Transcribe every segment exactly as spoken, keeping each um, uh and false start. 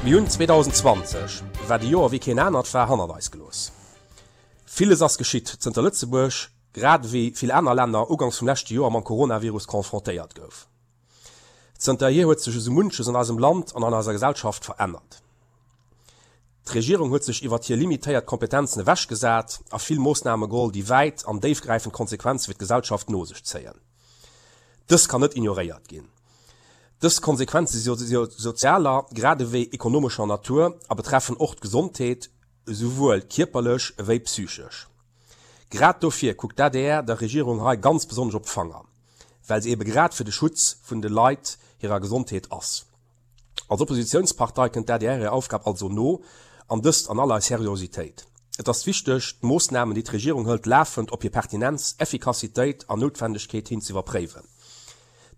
Mir hunn zweedausendzwanzeg, wat e Joer wéi keen anert war, hannert eis gelooss. Villes ass geschitt, zënter Lëtzebuerg, grad ewéi vill aner Länner, uganks vum leschte Joer mam Coronavirus confrontéiert gouf. Zënterhier huet sech esou munches an eisem Land an an eiser Gesellschaft verännert. D'Regierung huet sech iwwert hir limitéiert Kompetenzen ewechgesat a vill Moossname geholl, déi wäit an déifgräifend Konsequenze fir d'Gesellschaft no sech zéien. Dës kann net ignoréiert ginn. Dës Konsequenze si sozialer grad ewéi ekonomescher Natur a betreffen och d'Gesondheet, esouwuel kierperlech ewéi psychesch. Grad dofir kuckt d'ADR der Regierung hei ganz besonnesch op d'Fanger, well se ebe grad fir de Schutz vun de Leit hirer Gesondheet ass. Als Oppositiounspartei kënnt d'ADR hirer Aufgab also no, an dëst an aller Seriositéit. Et ass wichteg, d'Moossnamen, déi d'Regierung hëlt, lafend op hir Pertinenz, Effikassitéit an Noutwendegkeet hin ze iwwerpréiwen.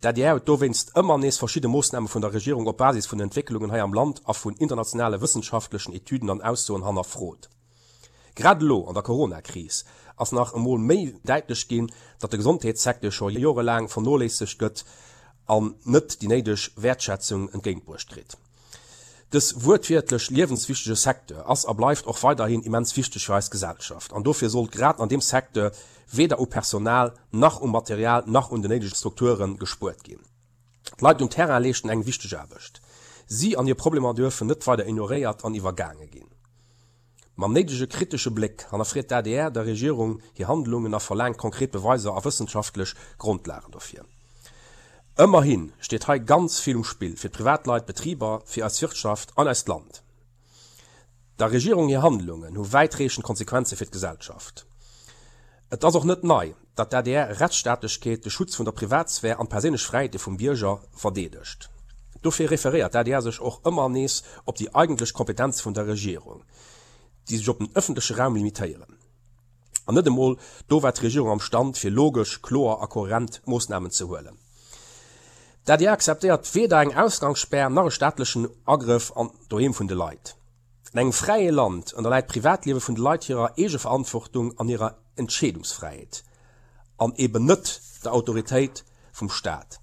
D'ADR huet dowéinst ëmmer nees verschidde Moossname vun der Regierung op Basis vun den Entwécklungen hei am Land a vun internationale wëssenschaftlechen Etüden an Aussoen hannerfrot. Grad elo an der Coronakris ass nach emol méi däitlech ginn, datt de Gesondheetssecteur scho jorelaang vernoléissegt gëtt an net déi néideg Wäertschätzung entgéintbruecht kritt. Dës wuertwiertlech liewenswichtege Secteur ass a bleift och weiderhin immens wichteg fir eis Gesellschaft an dofir sollt grad an deem Secteur weder u Personal nach um Material nach un den néidege Strukture gespuert ginn. D'Leit um Terrain leeschten eng wichteg Aarbecht. Si an hir Problemer duerfen net weider ignoréiert an iwwergaange ginn. Mam néidege kritesche Bléck hannerfreet d'ADR der Regierung hir Handlungen a verlaangt konkret Beweiser a wëssenschaftlech Grondlagen dofir. Ëmmerhi steet hei ganz vill um Spill fir d'Privatleit, d'Betriber, fir eis Wirtschaft an eist Land. Der Regierung hir Handlungen hu wäitreechend Konsequenze fir d'Gesellschaft. Et ass och net nei, datt d'ADR Rechtsstaatlechkeet, de Schutz vun der Privatsphär an d'perséinlech Fräiheete vum Bierger verdeedegt. Dofir referéiert d'ADR sech och ëmmer nees op déi eigentlech Kompetenze vun der Regierung, déi sech op den ëffentleche Raum limitéieren. An net emol do war d'Regierung am Stand, fir logesch, kloer a kohärent Moossnamen ze huelen. D'ADR akzeptéiert weder eng Ausgangsspär nach e staatlechen Agrëff an d'Doheem vun de Leit. An engem fräie Land ënnerläit d'Privatliewe vun de Leit hirer Eegeverantwortung an hirer Entscheedungsfräiheet an eben net der Autoritéit vum Staat.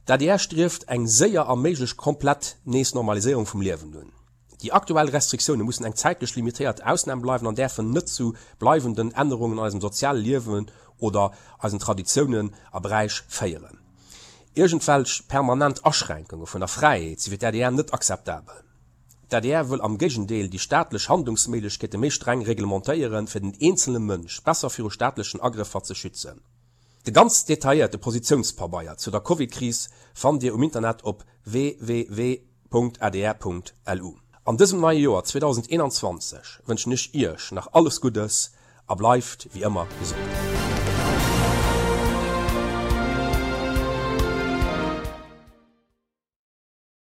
D'ADR strieft eng séier a méiglech komplett nees Normaliséierung vum Liewen un. Déi aktuell Restriktioune mussen eng zäitlech limitéiert Ausnam bleiwen an däerfen net zu bleiwenden Ännerungen an eisem soziale Liewen oder eisen Traditiounen a Bräich féieren. Iergendwelch permanent Aschränkunge vun der Fräiheet si fir d'ADR net akzeptabel. D'ADR wëll am Géigendeel déi staatlech Handlungsméiglechkeete méi streng reglementéieren, fir den eenzele Mënsch besser viru staatlechen Agrëffer ze schützen. De ganz detailléierte Positiounspabeier zu der Covid-Kris fannt Dir um Internet op www.adr.lu. An dësem neie Joer zweedausendeenanzwanzeg wënschen ech Iech nach alles Guddes a bleift wéi ëmmer gesond.